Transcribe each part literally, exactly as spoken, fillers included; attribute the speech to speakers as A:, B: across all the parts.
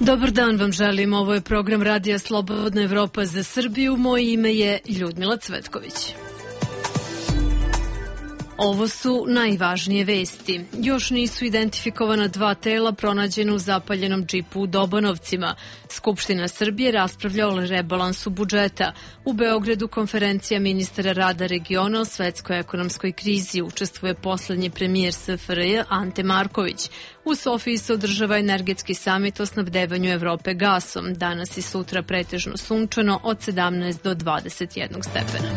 A: Dobar dan vam želim, ovo je program Radija Slobodna Evropa za Srbiju, moje ime je Ljudmila Cvetković. Ovo su najvažnije vesti. Još nisu identifikovana dva tela pronađena u zapaljenom džipu u Dobanovcima. Skupština Srbije raspravlja o rebalansu budžeta. U Beogradu konferencija ministara rada regiona o svetskoj ekonomskoj krizi. Učestvuje poslednji premijer S F R J Ante Marković. U Sofiji se održava energetski samit o snabdevanju Evrope gasom. Danas i sutra pretežno sunčano od sedamnaest do dvadeset jedan stepena.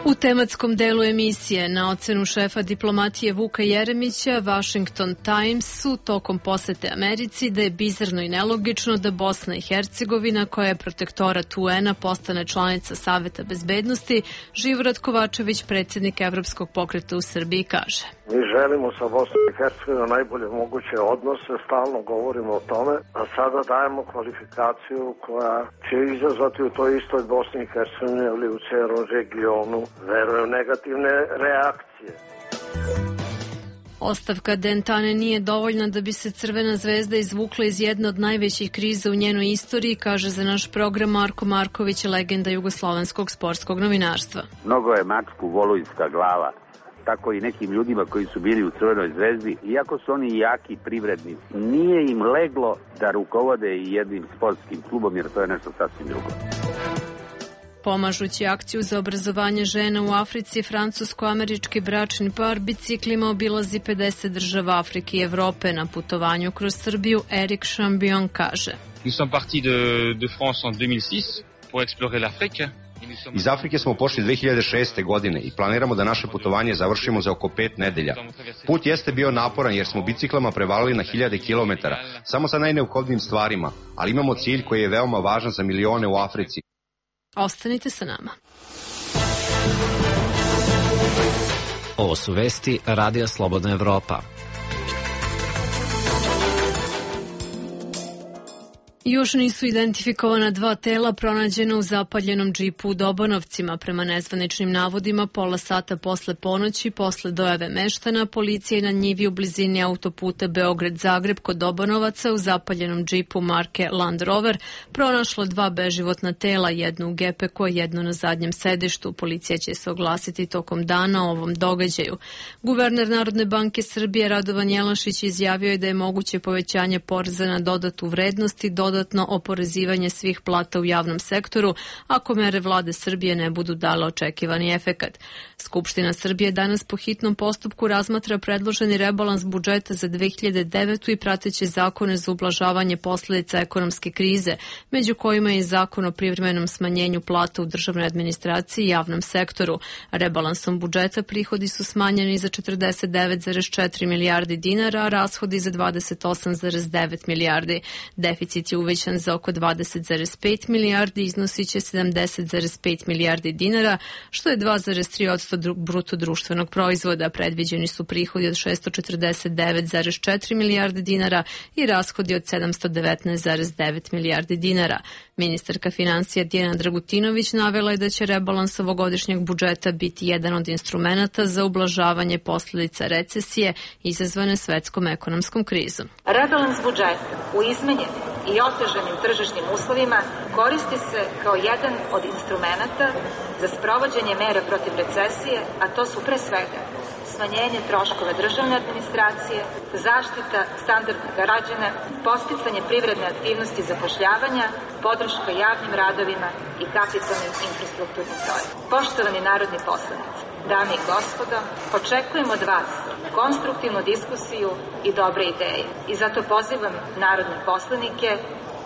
A: U tematskom delu emisije na ocenu šefa diplomatije Vuka Jeremića, Washington Times su tokom posete Americi da je bizarno i nelogično da Bosna i Hercegovina, koja je protektorat U N-a, postane članica Saveta bezbednosti. Živorad Kovačević, predsjednik Evropskog pokreta u Srbiji, kaže:
B: Mi želimo sa Bosnom i Hercegovinom najbolje moguće odnose, stalno govorimo o tome, a sada dajemo kvalifikaciju koja će izazvati u toj istoj Bosni i Hercegovini ili u celom regionu, verujem, negativne reakcije.
A: Ostavka Dentane nije dovoljna da bi se Crvena zvezda izvukla iz jedne od najvećih kriza u njenoj istoriji, kaže za naš program Marko Marković, legenda jugoslovenskog sportskog novinarstva.
C: Mnogo je mačku volujska glava, tako i nekim ljudima koji su bili u Crvenoj zvezdi, iako su oni jaki privrednici, nije im leglo da rukovode i jednim sportskim klubom, jer to je nešto sasvim drugo.
A: Pomažući akciju za obrazovanje žena u Africi, francusko-američki bračni par biciklima obilazi pedeset država Afrike i Evrope. Na putovanju kroz Srbiju Erik Chambion kaže:
D: Nous sommes partis de, de France en deux mille six pour explorer l'Afrique.
E: Iz Afrike smo pošli dve hiljade šeste. godine i planiramo da naše putovanje završimo za oko pet nedelja. Put jeste bio naporan jer smo biciklama prevalili na hiljade kilometara, samo sa najneophodnijim stvarima, ali imamo cilj koji je veoma važan za milione u Africi.
A: Ostanite sa nama.
F: Ovo su vesti Radija Slobodna Evropa.
A: Još nisu identifikovana dva tela pronađena u zapaljenom džipu u Dobanovcima. Prema nezvaničnim navodima, pola sata posle ponoći, posle dojave meštana, policija je na njivi u blizini autoputa Beograd-Zagreb kod Dobanovaca u zapaljenom džipu marke Land Rover pronašla dva beživotna tela, jedno u gepeku, a jedno na zadnjem sedištu. Policija će se oglasiti tokom dana o ovom događaju. Guverner Narodne banke Srbije Radovan Jelašić izjavio je da je moguće povećanje poreza na dodatu vrednost i dodatno oporezivanje svih plata u javnom sektoru ako mere vlade Srbije ne budu dale očekivani efekat. Skupština Srbije danas po hitnom postupku razmatra predloženi rebalans budžeta za dve hiljade devetu. i prateće zakone za ublažavanje posledica ekonomske krize, među kojima je zakon o privremenom smanjenju plata u državnoj administraciji i javnom sektoru. Rebalansom budžeta prihodi su smanjeni za četrdeset devet zarez četiri milijardi dinara, a rashodi za dvadeset osam zarez devet milijardi. Deficit je uvećan za oko dvadeset zarez pet milijardi, iznosit će sedamdeset zarez pet milijardi dinara, što je dva zarez tri posto bruto društvenog proizvoda. Predviđeni su prihodi od šesto četrdeset devet zarez četiri milijarde dinara i rashodi od sedamsto devetnaest zarez devet milijardi dinara. Ministarka financija Dijana Dragutinović navela je da će rebalans ovogodišnjeg budžeta biti jedan od instrumenata za ublažavanje posledica recesije izazvane svetskom ekonomskom krizom.
G: Rebalans budžeta u izmenjenim i otežanim tržišnim uslovima koristi se kao jedan od instrumenata za sprovođenje mera protiv recesije, a to su pre svega smanjenje troškova državne administracije, zaštita standarda građana, podsticanje privredne aktivnosti i zapošljavanja, podrška javnim radovima i kapitalnim infrastrukturnim projektima. Poštovani narodni poslanici, dame i gospodo, očekujem od vas konstruktivnu diskusiju i dobre ideje. I zato pozivam narodne poslanike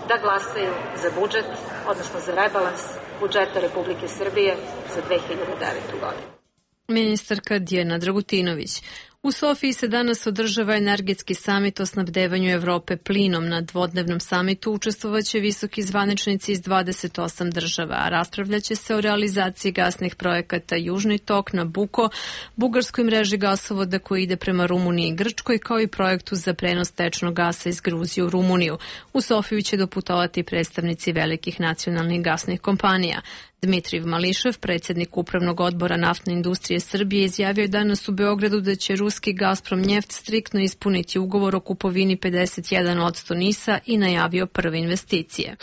G: da glasaju za budžet, odnosno za rebalans budžeta Republike Srbije za dve hiljade devetu. godinu.
A: Ministarka Dijana Dragutinović. U Sofiji se danas održava energetski samit o snabdevanju Evrope plinom. Na dvodnevnom samitu učestvovaće visoki zvaničnici iz dvadeset osam država, a raspravljaće se o realizaciji gasnih projekata Južni tok, Nabuko, bugarskoj mreži gasovoda koji ide prema Rumuniji i Grčkoj, kao i projektu za prenos tečnog gasa iz Gruzije u Rumuniju. U Sofiju će doputovati predstavnici velikih nacionalnih gasnih kompanija. Dmitrijev Mališev, predsjednik Upravnog odbora Naftne industrije Srbije, izjavio je danas u Beogradu da će ruski Gazprom Njeft striktno ispuniti ugovor o kupovini pedeset jedan posto NIS-a i najavio prve investicije.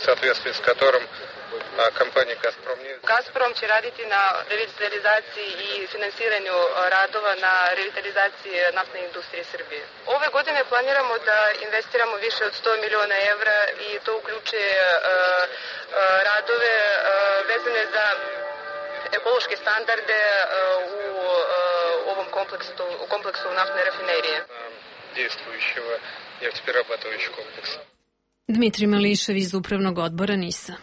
H: Gazprom će raditi na revitalizaciji i finansiranju radova na revitalizaciji naftne industrije Srbije. Ove godine planiramo da investiramo više od sto miliona evra i to uključuje uh, uh, radove uh, vezane za ekološke standarde uh, u uh, ovom kompleksu, u kompleksu naftne rafinerije. Dejstvujućeg neftepererabатывающего kompleksa.
A: Dmitrij Mališev iz Upravnog odbora NIS-a.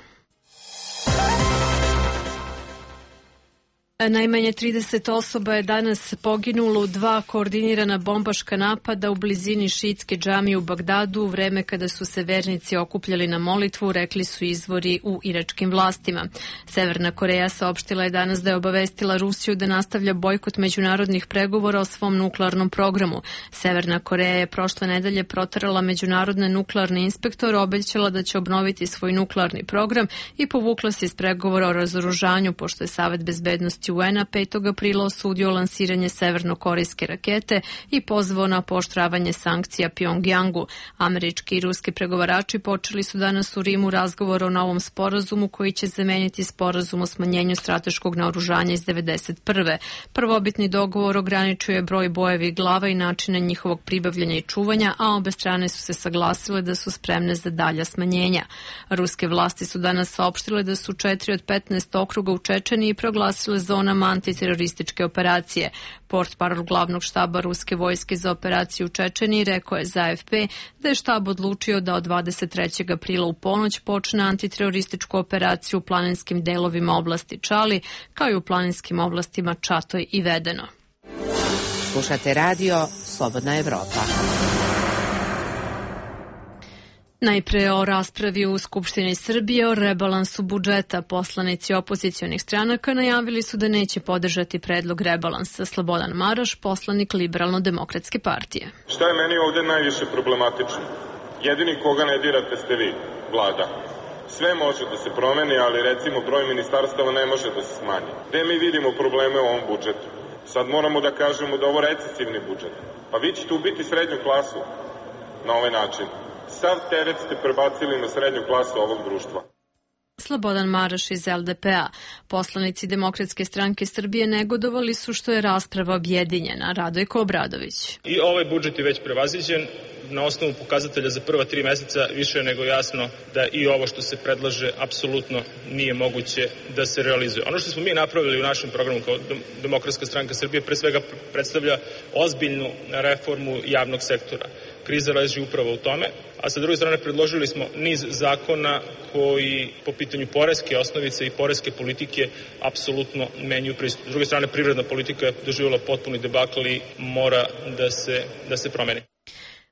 A: Najmanje trideset osoba je danas poginulo u dva koordinirana bombaška napada u blizini šiitske džamije u Bagdadu u vreme kada su se vernici okupljali na molitvu, rekli su izvori u iračkim vlastima. Severna Koreja saopštila je danas da je obavestila Rusiju da nastavlja bojkot međunarodnih pregovora o svom nuklearnom programu. Severna Koreja je prošle nedelje proterala međunarodne nuklearne inspektore, obećala da će obnoviti svoj nuklearni program i povukla se iz pregovora o razoružanju, pošto je Savet bezbednosti U N A petog aprila osudio lansiranje severnokorejske rakete i pozvao na pooštravanje sankcija Pjongjangu. Američki i ruski pregovarači počeli su danas u Rimu razgovor o novom sporazumu koji će zameniti sporazum o smanjenju strateškog naoružanja iz devedeset prve. Prvobitni dogovor ograničuje broj bojevih glava i načine njihovog pribavljanja i čuvanja, a obe strane su se saglasile da su spremne za dalja smanjenja. Ruske vlasti su danas saopštile da su četiri od petnaest okruga u Čečeniji proglasile zonama antiterorističke operacije. Portparol glavnog štaba ruske vojske za operaciju u Čečeniji rekao je za A F P da je štab odlučio da od dvadeset trećeg aprila u ponoć počne antiterorističku operaciju u planinskim delovima oblasti Čali, kao i u planinskim oblastima Čatoj i Vedeno.
I: Slušate radio Slobodna Evropa.
A: Najpre o raspravi u Skupštini Srbije o rebalansu budžeta. Poslanici opozicionih stranaka najavili su da neće podržati predlog rebalansa. Slobodan Maraš, poslanik Liberalno-demokratske partije.
J: Šta je meni ovde najviše problematično? Jedini koga ne dirate ste vi, vlada. Sve može da se promeni, ali recimo broj ministarstava ne može da se smanji. Gde mi vidimo probleme u ovom budžetu? Sad moramo da kažemo da ovo recesivni budžet. Pa vi ćete ubiti srednju klasu na ovaj način. Sav teret ste prebacili na srednju klasu ovog društva.
A: Slobodan Maraš iz L D P A. Poslanici Demokratske stranke Srbije negodovali su što je rasprava objedinjena. Radojko Obradović.
K: I ovaj budžet je već prevaziđen. Na osnovu pokazatelja za prva tri meseca više je nego jasno da i ovo što se predlaže apsolutno nije moguće da se realizuje. Ono što smo mi napravili u našem programu kao Demokratska stranka Srbije pre svega predstavlja ozbiljnu reformu javnog sektora. Kriza leži upravo u tome, a sa druge strane predložili smo niz zakona koji po pitanju poreske osnovice i poreske politike apsolutno menjuju pristup. S druge strane, privredna politika je doživjela potpuni debakl i mora da se, da se promeni.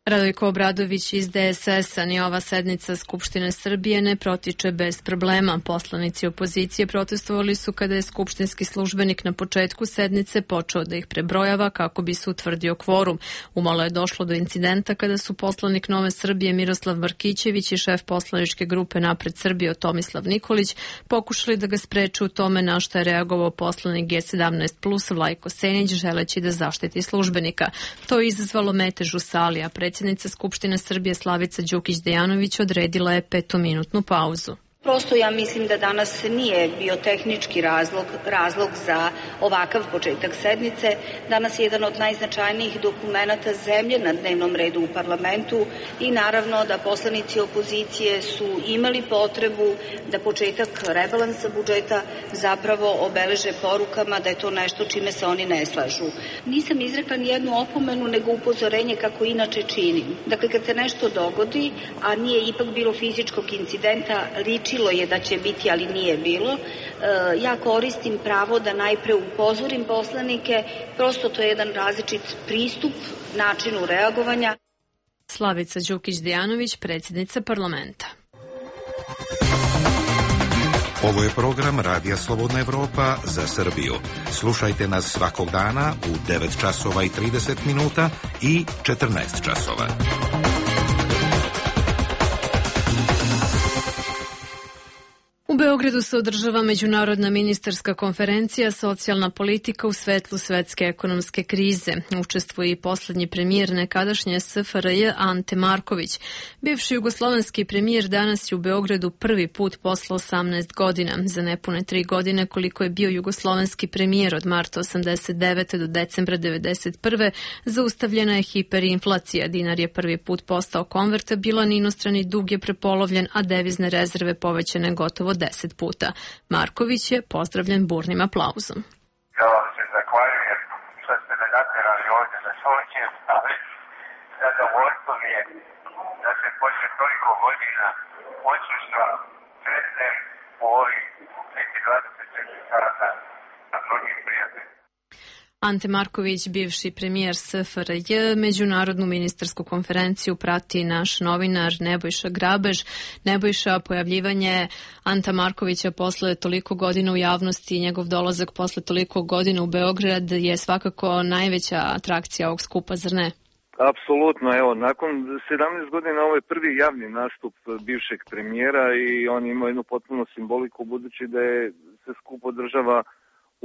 A: Radojko Obradović iz D S S-a. Ni ova sednica Skupštine Srbije ne protiče bez problema. Poslanici opozicije protestovali su kada je skupštinski službenik na početku sednice počeo da ih prebrojava kako bi se utvrdio kvorum. Umalo je došlo do incidenta kada su poslanik Nove Srbije Miroslav Markićević i šef poslaničke grupe Napred Srbije Tomislav Nikolić pokušali da ga spreče u tome, na što je reagovao poslanik G sedamnaest plus Vlajko Senić želeći da zaštiti službenika. To je izazvalo metež u sali, a predsjednica Skupštine Srbije Slavica Đukić-Dejanović odredila je petominutnu pauzu.
L: Prosto ja mislim da danas nije bio tehnički razlog, razlog za ovakav početak sednice. Danas je jedan od najznačajnijih dokumenata zemlje na dnevnom redu u parlamentu i naravno da poslanici opozicije su imali potrebu da početak rebalansa budžeta zapravo obeleže porukama da je to nešto čime se oni ne slažu. Nisam izrekla ni jednu opomenu, nego upozorenje kako inače činim. Dakle, kad se nešto dogodi, a nije ipak bilo fizičkog incidenta, liči je da će biti, ali nije bilo. Ja koristim pravo da najpre upozorim poslanike, prosto to je jedan različit pristup načinu reagovanja.
A: Slavica Đukić-Dejanović, predsjednica parlamenta.
M: Ovo je program Radija Slobodna Evropa za Srbiju. Slušajte nas svakog dana u devet časova i trideset minuta i četrnaest časova.
A: U U Beogradu se održava međunarodna ministarska konferencija Socijalna politika u svetlu svetske ekonomske krize. Učestvuje i poslednji premijer nekadašnje S F R J Ante Marković. Bivši jugoslovenski premijer danas je u Beogradu prvi put posle osamnaest godina. Za nepune tri godine koliko je bio jugoslovenski premijer od marta osamdeset devete do decembra devedeset prve zaustavljena je hiperinflacija. Dinar je prvi put postao konvertabilan, inostrani dug je prepolovljen, a devizne rezerve povećane gotovo deset puta. Marković je pozdravljen burnim aplauzom.
N: Ja vam se zahvaljujem što ste me naterali ovdje da soćem, ali zadovoljstvo mi je da se posle toliko godina odsustva sretnem u ovih dvadeset četiri sata na mnogim prijateljima.
A: Ante Marković, bivši premijer S F R J, međunarodnu ministarsku konferenciju prati naš novinar Nebojša Grabež. Nebojša, pojavljivanje Anta Markovića posle toliko godina u javnosti i njegov dolazak posle toliko godina u Beograd je svakako najveća atrakcija ovog skupa, zar ne?
O: Apsolutno, evo, nakon sedamnaest godina ovo je prvi javni nastup bivšeg premijera i on ima jednu potpuno simboliku budući da je se skup održava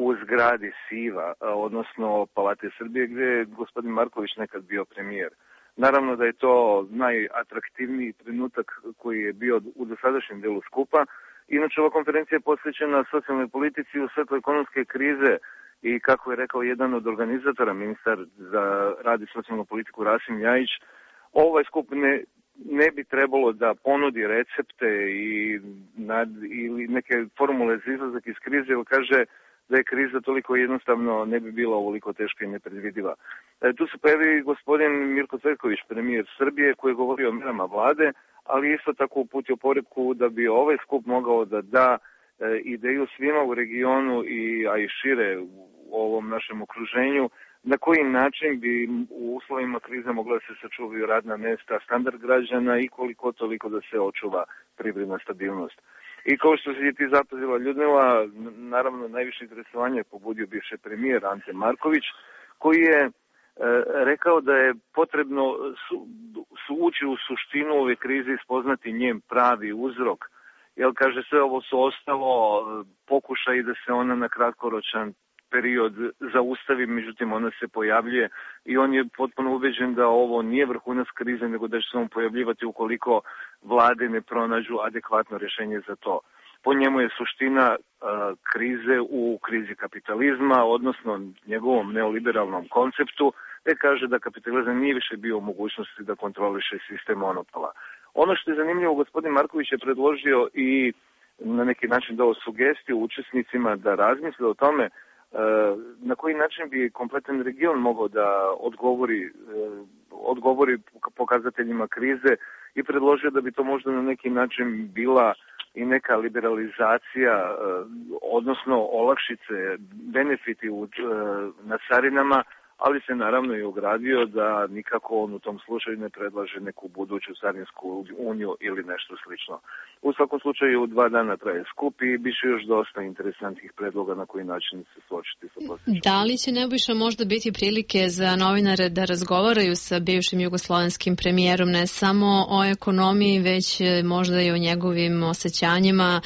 O: u zgradi Siva, odnosno Palate Srbije, gdje je gospodin Marković nekad bio premijer. Naravno da je to najatraktivniji trenutak koji je bio u dosadašnjem delu skupa. Inače, ova konferencija je posvećena socijalnoj politici u svetlu ekonomske krize i, kako je rekao jedan od organizatora, ministar za rad i socijalnu politiku Rasim Ljajić, ovaj skup ne, ne bi trebalo da ponudi recepte i nad, ili neke formule za izlazak iz krize, ili kaže da je kriza toliko jednostavno ne bi bila ovoliko teška i nepredvidiva. E, tu se pojavi gospodin Mirko Cvetković, premijer Srbije, koji je govorio o merama vlade, ali isto tako uputio poruku da bi ovaj skup mogao da da e, ideju svima u regionu, i, a i šire u ovom našem okruženju, na koji način bi u uslovima krize mogla da se sačuvaju radna mesta, standard građana i koliko toliko da se očuva privredna stabilnost. I kao što se ti zapazila Ljudmila, naravno najviše interesovanje je pobudio bivši premijer Ante Marković, koji je e, rekao da je potrebno su, su ući u suštinu ove krize i spoznati njen pravi uzrok. Jer, kaže, sve ovo su ostalo pokušaj da se ona na kratkoročan period zaustavi, međutim ona se pojavljuje i on je potpuno ubeđen da ovo nije vrhunac krize, nego da će se on pojavljivati ukoliko vlade ne pronađu adekvatno rješenje za to. Po njemu je suština uh, krize u krizi kapitalizma, odnosno njegovom neoliberalnom konceptu, gdje kaže da kapitalizam nije više bio u mogućnosti da kontroliše sistem monopola. Ono što je zanimljivo, gospodin Marković je predložio i na neki način dao sugestiju učesnicima da razmisle o tome na koji način bi kompletan region mogao da odgovori, odgovori pokazateljima krize i predložio da bi to možda na neki način bila i neka liberalizacija, odnosno olakšice, benefiti na carinama, ali se naravno i ogradio da nikako on u tom slučaju ne predlaže neku buduću carinsku uniju ili nešto slično. U svakom slučaju dva dana traje skup i biće još dosta interesantnih predloga na koji način se suočiti sa posjećom.
A: Da li će, Nebojša, možda biti prilike za novinare da razgovaraju sa bivšim jugoslovenskim premijerom ne samo o ekonomiji, već možda i o njegovim osjećanjima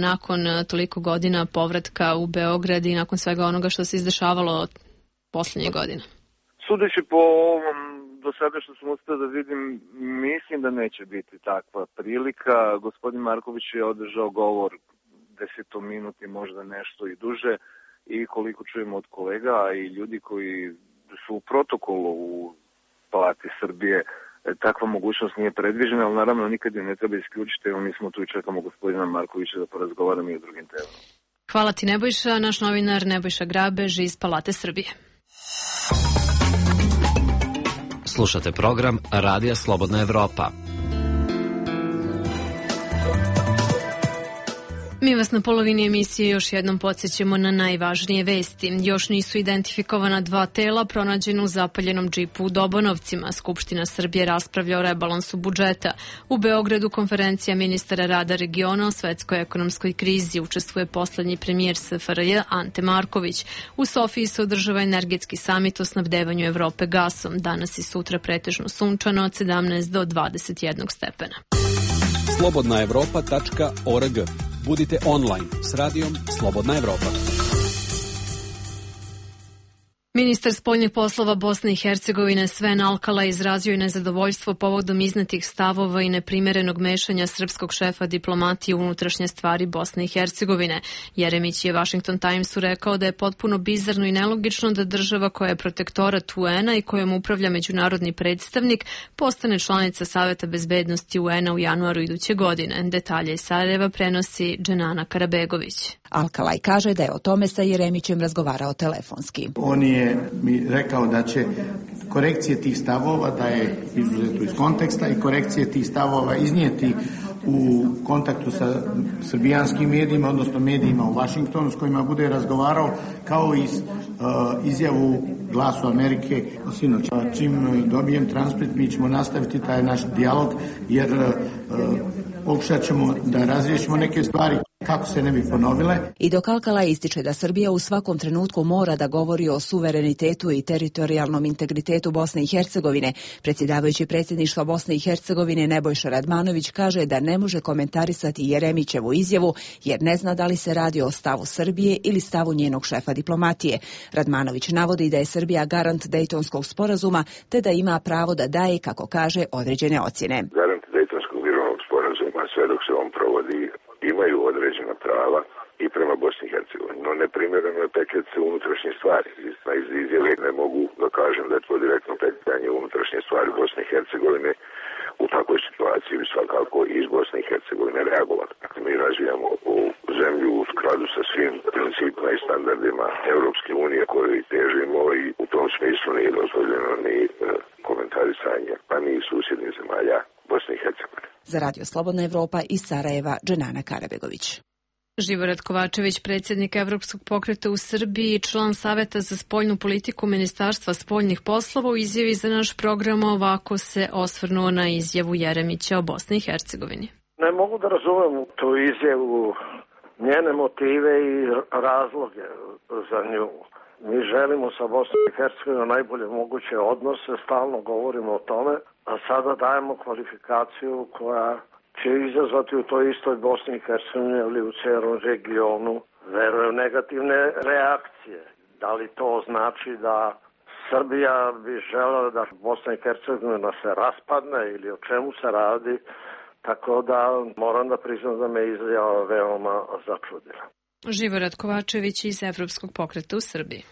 A: nakon toliko godina povratka u Beograd i nakon svega onoga što se izdešavalo posljednje godine?
O: Sudeći po ovom do sada što sam uspio da vidim, mislim da neće biti takva prilika. Gospodin Marković je održao govor desetominutni, možda nešto i duže, i koliko čujemo od kolega i ljudi koji su u protokolu u Palati Srbije, takva mogućnost nije predviđena, ali naravno nikad je ne treba isključiti, jer mi smo tu i čekamo gospodina Markovića da porazgovaramo i o drugim temama.
A: Hvala ti, Nebojša. Naš novinar Nebojša Grabež iz Palate Srbije.
F: Slušate program Radija Slobodna Evropa.
A: Mi vas na polovini emisije još jednom podsjećamo na najvažnije vesti. Još nisu identifikovana dva tela pronađena u zapaljenom džipu u Dobanovcima. Skupština Srbije raspravlja o rebalansu budžeta. U Beogradu konferencija ministara rada regiona o svetskoj ekonomskoj krizi. Učestvuje poslednji premijer S F R J Ante Marković. U Sofiji se održava energetski samit o snabdevanju Evrope gasom. Danas i sutra pretežno sunčano od sedamnaest do dvadeset jedan stepena.
P: slobodna evropa tačka org. Budite online s radijom Slobodna Evropa.
A: Ministar spoljnih poslova Bosne i Hercegovine Sven Alkala izrazio je nezadovoljstvo povodom iznetih stavova i neprimerenog mešanja srpskog šefa diplomatije u unutrašnje stvari Bosne i Hercegovine. Jeremić je Washington Timesu rekao da je potpuno bizarno i nelogično da država koja je protektorat U N-a i kojom upravlja međunarodni predstavnik postane članica Saveta bezbednosti U N-a u januaru iduće godine. Detalje iz Sarajeva prenosi Dženana Karabegović.
Q: Alkalaj kaže da je o tome sa Jeremićem razgovarao telefonski.
R: On je mi rekao da će korekcije tih stavova, da je izuzeto iz konteksta i korekcije tih stavova iznijeti u kontaktu sa srbijanskim medijima, odnosno medijima u Vašingtonu s kojima bude razgovarao, kao i uh, izjavu Glasu Amerike sinoć. Čim dobijem transkript, mi ćemo nastaviti taj naš dijalog, jer uh, pokušat ćemo da razriješimo neke stvari kako se ne bi ponovile.
Q: I dok Alkala ističe da Srbija u svakom trenutku mora da govori o suverenitetu i teritorijalnom integritetu Bosne i Hercegovine, predsjedavajući predsjedništva Bosne i Hercegovine Nebojša Radmanović kaže da ne može komentarisati Jeremićevu izjavu jer ne zna da li se radi o stavu Srbije ili stavu njenog šefa diplomatije. Radmanović navodi da je Srbija garant Dejtonskog sporazuma te da ima pravo da daje, kako kaže, određene ocjene.
S: Garant Dejtonskog mirovnog sporazuma sve dok se on provodi imaju određena prava i prema Bosni i Hercegovini. No neprimjereno je petljati se unutrašnje stvari. Iz izjave ne mogu da kažem da je to direktno petljanje unutrašnje stvari Bosne i Hercegovine. U takvoj situaciji bi svakako iz Bosne i Hercegovine reagovati. Dakle, mi razvijamo u zemlju u skladu sa svim principima i standardima Europske unije koje težimo i u tom smislu nije dozvoljeno ni e, komentarisanje, pa ni susjednih zemalja Bosne i Hercegovine.
Q: Za Radio Slobodna Evropa iz Sarajeva, Dženana Karabegović.
A: Živorad Kovačević, predsjednik Evropskog pokreta u Srbiji i član Saveta za spoljnu politiku Ministarstva spoljnih poslova, u izjavi za naš program ovako se osvrnuo na izjavu Jeremića o Bosni i Hercegovini.
B: Ne mogu da razumem tu izjavu, njene motive i razloge za nju. Mi želimo sa Bosnom i Hercegovinom najbolje moguće odnose, stalno govorimo o tome, a sada dajemo kvalifikaciju koja će izazvati u toj istoj Bosni i Hercegovini ili u cijelom regionu, verujem, negativne reakcije. Da li to znači da Srbija bi želela da Bosna i Hercegovina se raspadne ili o čemu se radi, tako da moram da priznam da me izjava veoma začudila.
A: Živorad Kovačević iz Evropskog pokreta u Srbiji.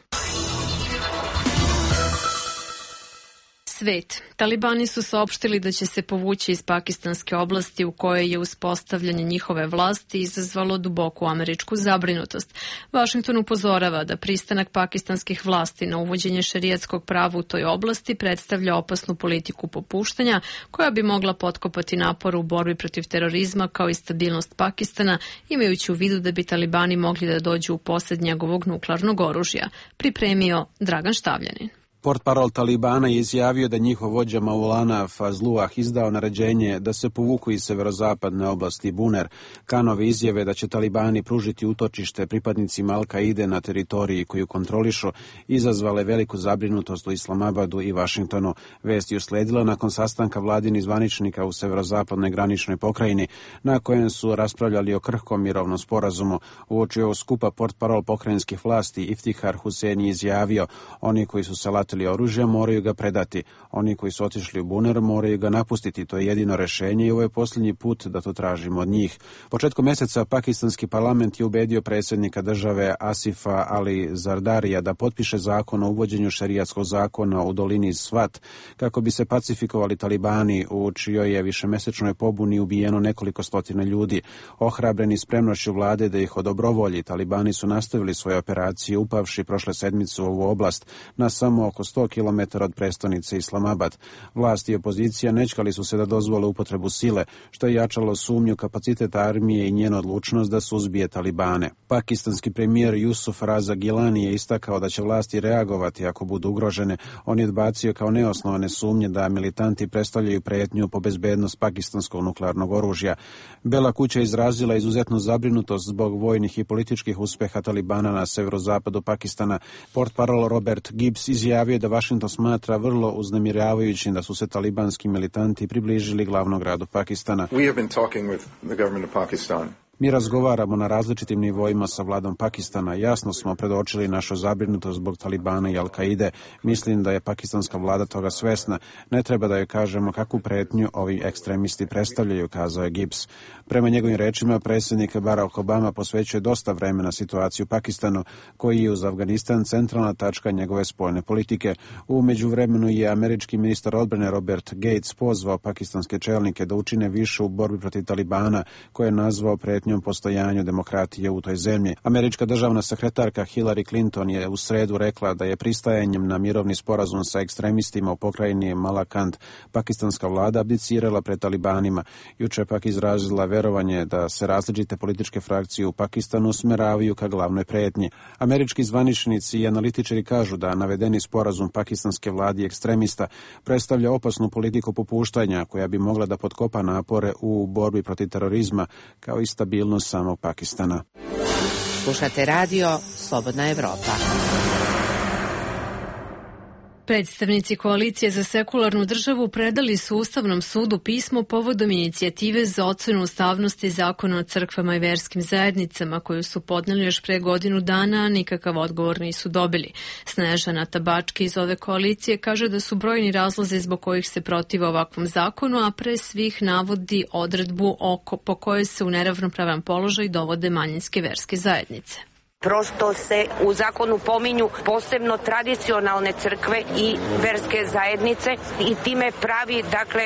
A: Svet. Talibani su saopštili da će se povući iz pakistanske oblasti u kojoj je uspostavljanje njihove vlasti izazvalo duboku američku zabrinutost. Washington upozorava da pristanak pakistanskih vlasti na uvođenje šerijatskog prava u toj oblasti predstavlja opasnu politiku popuštanja koja bi mogla potkopati napor u borbi protiv terorizma kao i stabilnost Pakistana, imajući u vidu da bi Talibani mogli da dođu u posjed njegovog nuklearnog oružja. Pripremio Dragan Štavljanin.
P: Portparol Talibana je izjavio da njihov vođa Maulana Fazluah izdao naređenje da se povuku iz severozapadne oblasti Buner. Kanove izjave da će Talibani pružiti utočište pripadnicima Al-Kaide na teritoriji koju kontrolišu izazvale veliku zabrinutost u Islamabadu i Vašingtonu. Vest je usledila nakon sastanka vladinih zvaničnika u severozapadnoj graničnoj pokrajini, na kojem su raspravljali o krhkom mirovnom sporazumu. Uoči ovog skupa portparol pokrajinskih vlasti Iftihar Hussein je izjavio: oni koji su salatili oružja moraju ga predati. Oni koji su otišli u Buner moraju ga napustiti. To je jedino rešenje i ovo je posljednji put da to tražimo od njih. Početkom mjeseca pakistanski parlament je ubedio predsjednika države Asifa Ali Zardarija da potpiše zakon o uvođenju šerijatskog zakona u dolini Svat kako bi se pacifikovali Talibani, u čijoj je višemesečnoj pobuni ubijeno nekoliko stotina ljudi. Ohrabreni spremnošću vlade da ih odobrovolji, Talibani su nastavili svoje operacije upavši prošle sedmice u ovu oblast na samo oko sto kilometara od prestonice Islamabad. Vlast i opozicija nečkali su se da dozvole upotrebu sile, što je jačalo sumnju kapacitet armije i njenu odlučnost da suzbije Talibane. Pakistanski premijer Jusuf Raza Gilani je istakao da će vlasti reagovati ako budu ugrožene. On je odbacio kao neosnovane sumnje da militanti predstavljaju prijetnju po bezbednost pakistanskog nuklearnog oružja. Bela kuća izrazila izuzetnu zabrinutost zbog vojnih i političkih uspeha Talibana na severozapadu Pakistana. Portparol Robert Gibbs izjavio da Washington smatra vrlo uznemiravajućim da su se talibanski militanti približili glavnom gradu Pakistana.
T: We have been talking with the government of Pakistan
P: Mi razgovaramo na različitim nivoima sa vladom Pakistana. Jasno smo predočili našu zabrinutost zbog Talibana i Al-Kaide. Mislim da je pakistanska vlada toga svesna. Ne treba da joj kažemo kakvu pretnju ovi ekstremisti predstavljaju, kazao je Gibbs. Prema njegovim rečima, predsjednik Barack Obama posvećuje dosta vremena situaciju u Pakistanu, koji je uz Afganistan centralna tačka njegove spoljne politike. U međuvremenu je američki ministar odbrane Robert Gates pozvao pakistanske čelnike da učine više u borbi protiv Talibana, koje je nazvao pretnjom postojanju demokratije u toj zemlji. Američka državna sekretarka Hillary Clinton je u sredu rekla da je pristajanjem na mirovni sporazum sa ekstremistima u pokrajini Malakand pakistanska vlada abdicirala pred Talibanima. Juče pak izrazila verovanje da se različite političke frakcije u Pakistanu usmeravaju ka glavnoj pretnji. Američki zvaničnici i analitičari kažu da navedeni sporazum pakistanske vlade i ekstremista predstavlja opasnu politiku popuštanja koja bi mogla da potkopa napore u borbi protiv terorizma kao i stabilnost samog Pakistana.
I: Slušate radio Slobodna Evropa.
A: Predstavnici koalicije za sekularnu državu predali su Ustavnom sudu pismo povodom inicijative za ocenu ustavnosti zakona o crkvama i verskim zajednicama koju su podneli još pre godinu dana, a nikakav odgovor nisu dobili. Snežana Tabački iz ove koalicije kaže da su brojni razlozi zbog kojih se protive ovakvom zakonu, a pre svih navodi odredbu oko, po kojoj se u neravnopravan položaj dovode manjinske verske zajednice.
T: Prosto se u zakonu pominju posebno tradicionalne crkve i verske zajednice i time pravi dakle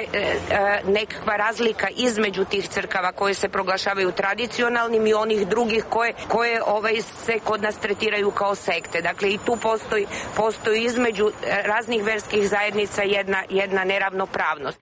T: nekakva razlika između tih crkava koje se proglašavaju tradicionalnim i onih drugih koje, koje ovaj, se kod nas tretiraju kao sekte. Dakle i tu postoji, postoji između raznih verskih zajednica jedna, jedna neravnopravnost.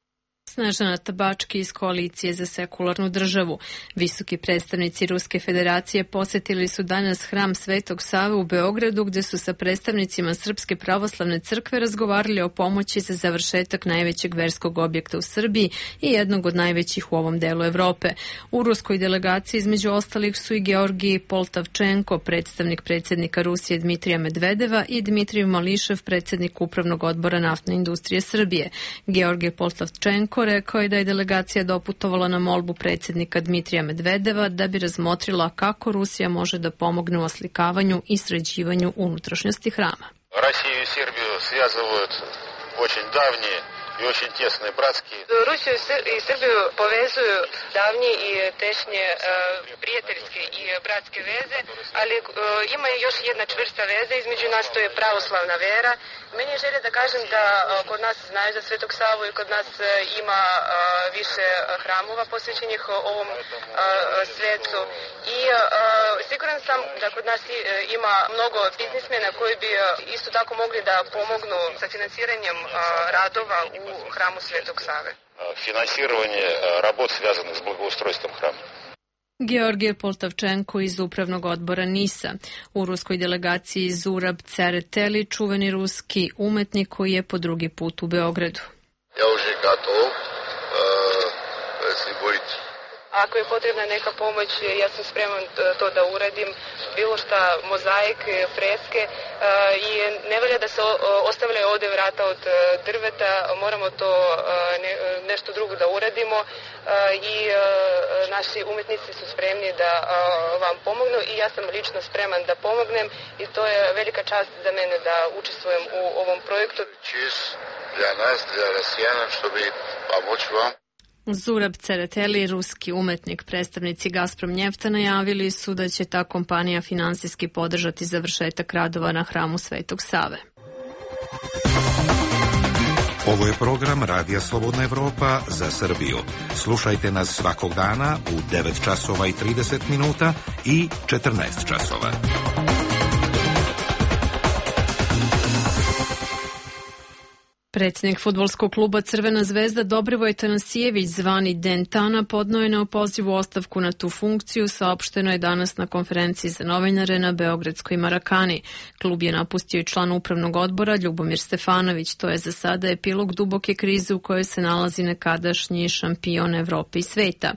A: Snežana Tabački iz koalicije za sekularnu državu. Visoki predstavnici Ruske federacije posetili su danas hram Svetog Save u Beogradu, gde su sa predstavnicima Srpske pravoslavne crkve razgovarali o pomoći za završetak najvećeg verskog objekta u Srbiji i jednog od najvećih u ovom delu Evrope. U ruskoj delegaciji između ostalih su i Georgij Poltavčenko, predstavnik predsjednika Rusije Dmitrija Medvedeva, i Dmitrij Mališev, predsednik Upravnog odbora naftne industrije Srbije. Georgij Poltavčenko rekao je da je delegacija doputovala na molbu predsjednika Dmitrija Medvedeva da bi razmotrila kako Rusija može da pomogne u oslikavanju i sređivanju unutrašnjosti hrama.
U: Rusiju i Srbiju svязывaju очень давние i очень тесные братские.
H: Rusiju i Srbiju povezuju davnje i tešnje prijateljske i bratske veze, ali ima još jedna čvrsta veza između nas, to je pravoslavna vera. Meni je želje da kažem da kod nas znaju za Svetog Savu i kod nas ima više hramova posvećenih ovom svecu i siguran sam da kod nas ima mnogo biznismena koji bi isto tako mogli da pomognu sa financiranjem radova u hramu Svetog Save.
U: Finansiranje работ связанных с благоустройством храма.
A: Georgij Poltavčenko iz Upravnog odbora NIS-a. U ruskoj delegaciji Zurab Cereteli, čuveni ruski umetnik koji je po drugi put u Beogradu.
U: Ja уже готов, если будет.
H: Ako je potrebna neka pomoć, ja sam spreman to da uradim, bilo šta, mozaik, freske i ne valja da se ostavljaju ovde vrata od drveta, moramo to ne, nešto drugo da uradimo i naši umetnici su spremni da vam pomognu i ja sam lično spreman da pomognem i to je velika čast za mene da učestvujem u ovom projektu.
U: Čist для нас, для россиян, чтобы помочь вам.
A: Zurab Cereteli, ruski umetnik, predstavnici Gazprom Njefta najavili su da će ta kompanija finansijski podržati završetak radova na hramu Svetog Save.
M: Ovo je program Radija Slobodna Evropa za Srbiju. Slušajte nas svakog dana u devet časova i trideset minuta i četrnaest časova.
A: Predsjednik fudbalskog kluba Crvena zvezda Dobrivoj Tanasijević, zvani Dentana, podneo je neopozivu ostavku na tu funkciju, saopšteno je danas na konferenciji za novinare na Beogradskoj Marakani. Klub je napustio i član upravnog odbora Ljubomir Stefanović. To je za sada epilog duboke krize u kojoj se nalazi nekadašnji šampion Evrope i sveta.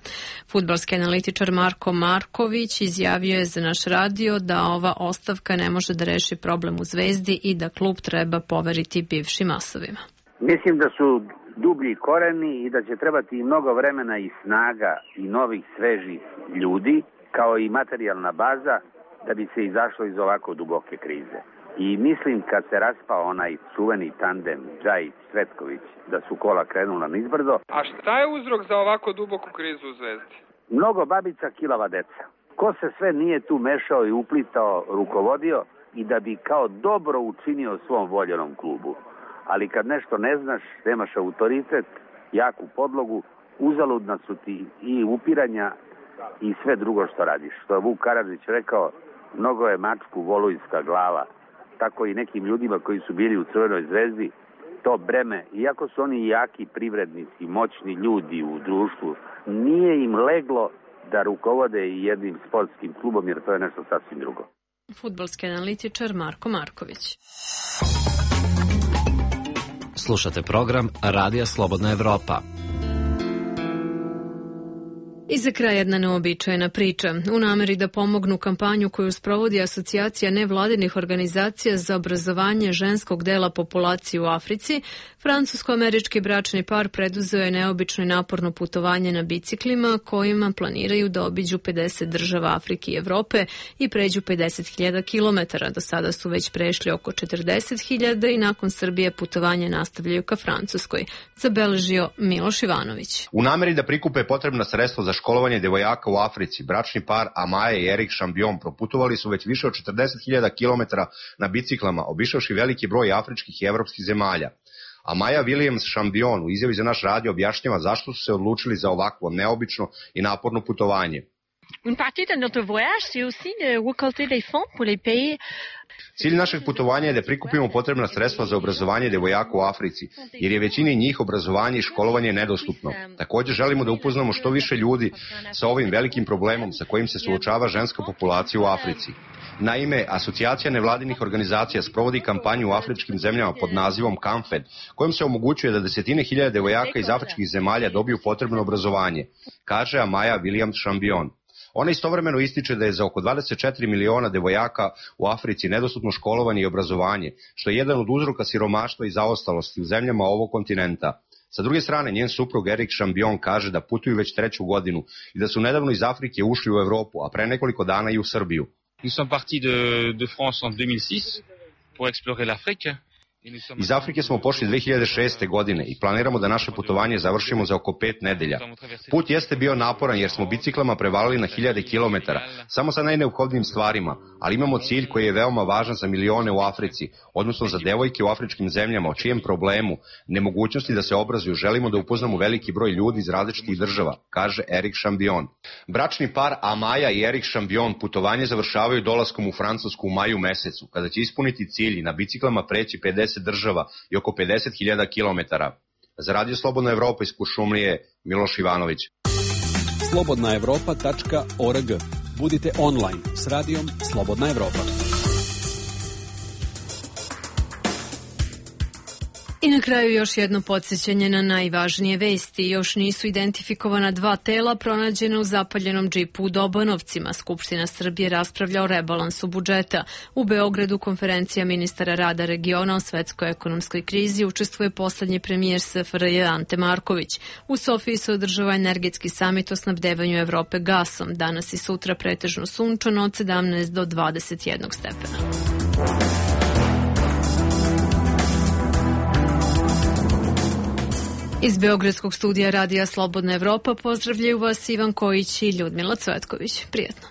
A: Fudbalski analitičar Marko Marković izjavio je za naš radio da ova ostavka ne može da reši problem u Zvezdi i da klub treba poveriti bivšim asovima.
C: Mislim da su dublji koreni i da će trebati mnogo vremena i snaga i novih svežih ljudi kao i materijalna baza da bi se izašlo iz ovako duboke krize. I mislim kad se raspao onaj čuveni tandem Džajić-Cvetković da su kola krenula nizbrdo.
D: A šta je uzrok za ovako duboku krizu u Zvezdi?
C: Mnogo babica, kilava deca. Ko se sve nije tu mešao i uplitao, rukovodio i da bi kao dobro učinio svom voljenom klubu. Ali kad nešto ne znaš, nemaš autoritet, jaku podlogu, uzaludna su ti i upiranja i sve drugo što radiš. Što je Vuk Karadžić rekao, mnogo je mačku volujska glava. Tako i nekim ljudima koji su bili u Crvenoj zvezdi, to breme, iako su oni jaki privrednici, moćni ljudi u društvu, nije im leglo da rukovode i jednim sportskim klubom, jer to je nešto sasvim drugo.
A: Fudbalski analitičar Marko Marković.
F: Slušate program Radija Slobodna Evropa.
A: I za kraj jedna neobičajena priča. U nameri da pomognu kampanju koju sprovodi Asocijacija nevladinih organizacija za obrazovanje ženskog dela populacije u Africi, francusko-američki bračni par preduzeo je neobično i naporno putovanje na biciklima kojima planiraju da obiđu pedeset država Afrike i Evrope i pređu pedeset hiljada kilometara. Do sada su već prešli oko četrdeset hiljada i nakon Srbije putovanje nastavljaju ka Francuskoj, zabeležio Miloš Ivanović.
E: U nameri da prikupe potrebna sredstva za školovanje devojaka u Africi, bračni par Amaja i Erik Šambion proputovali su već više od četrdeset hiljada kilometara na biciklama, obišavši veliki broj afričkih i evropskih zemalja. Amaja Williams Šambion u izjavi za naš radio objašnjava zašto su se odlučili za ovakvo neobično i naporno putovanje.
V: Une partie de notre voyage, c'est aussi de récolter des fonds pour les pays.
E: Cilj našeg putovanja je da prikupimo potrebna sredstva za obrazovanje devojaka u Africi, jer je većini njih obrazovanje i školovanje nedostupno. Također želimo da upoznamo što više ljudi sa ovim velikim problemom sa kojim se suočava ženska populacija u Africi. Naime, Asocijacija nevladinih organizacija sprovodi kampanju u afričkim zemljama pod nazivom Kamfed, kojom se omogućuje da desetine hiljada devojaka iz afričkih zemalja dobiju potrebno obrazovanje, kaže Amaja Williams Šambion. Ona istovremeno ističe da je za oko dvadeset četiri miliona devojaka u Africi nedostupno školovanje i obrazovanje, što je jedan od uzroka siromaštva i zaostalosti u zemljama ovog kontinenta. Sa druge strane, njen suprug Erik Šambion kaže da putuju već treću godinu i da su nedavno iz Afrike ušli u Evropu, a pre nekoliko dana i u Srbiju.
W: Nous sommes partis de, de France en deux mille six pour explorer l'Afrique.
E: Iz Afrike smo pošli dve hiljade šeste. godine i planiramo da naše putovanje završimo za oko pet nedelja. Put jeste bio naporan jer smo biciklama prevalili na hiljade kilometara, samo sa najneophodnijim stvarima, ali imamo cilj koji je veoma važan za milione u Africi, odnosno za devojke u afričkim zemljama, o čijem problemu, nemogućnosti da se obrazuju, želimo da upoznamo veliki broj ljudi iz različitih država, kaže Erik Šambion. Bračni par Amaja i Erik Šambion putovanje završavaju dolaskom u Francusku u maju mesecu, kada će ispuniti cilj i na biciklama preći pedeset država i oko pedeset hiljada kilometara. Za Radio Slobodna Evropa iz Kuršumlije, Miloš Ivanović.
X: slobodna evropa tačka org. Budite online s radijom Slobodna Evropa.
A: I na kraju još jedno podsjećanje na najvažnije vesti. Još nisu identifikovana dva tela pronađena u zapaljenom džipu u Dobanovcima. Skupština Srbije raspravlja o rebalansu budžeta. U Beogradu konferencija ministara rada regiona o svetskoj ekonomskoj krizi učestvuje poslednji premijer S F R J Ante Marković. U Sofiji se održava energetski samit o snabdevanju Evrope gasom. Danas i sutra pretežno sunčano od sedamnaest do dvadeset jedan stepena. Iz Beogradskog studija Radija Slobodna Evropa pozdravljaju vas Ivan Kojić i Ljudmila Cvetković. Prijetno.